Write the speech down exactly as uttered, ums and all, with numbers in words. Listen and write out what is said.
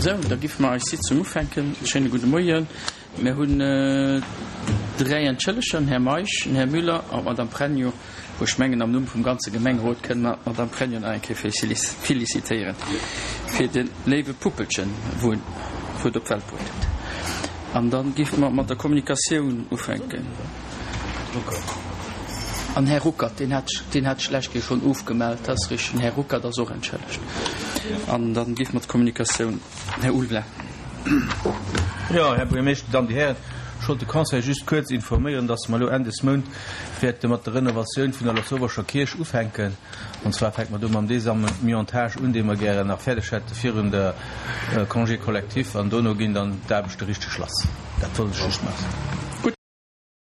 Sou, da giffe mer eis Sitzung ufänken. Schéine gudde Moien. Mir hunn dräi Entschëlleger, den Här Meisch, den Här Müller an d'Madame Pregno, wou ech mengen, am Numm vum ganze Gemengerot kënne mer d'Madame Pregno nach eng Kéier félicitéieren fir de léiwe Puppelchen, wou et op d'Welt bruet huet. An da giffe mer mat der Kommunikatioun ufänken. An Här Ruckert, deen hat, deen hat ech d'lescht Kéier schonn ofgemellt, dat ass richteg. Den Här Ruckert ass och entschëllegt. An da giffe mer d'Kommunikatioun, Här Ulveling. Jo, Här Buergermeeschter, Damen, Dir Hären, ech wollt de Conseil just kuerz informéieren, dass mer elo Enn des Mount wäerte mat der Renovatioun vun der Lasauvescher Kierch ufänken. An zwar fänke mer do mam Désamiantage un, dee mer gären nach fäerdeg hätte virun der Congé collectif, an dono ginn dann d'Aarbechte richteg lass. Dat wollt ech just maachen.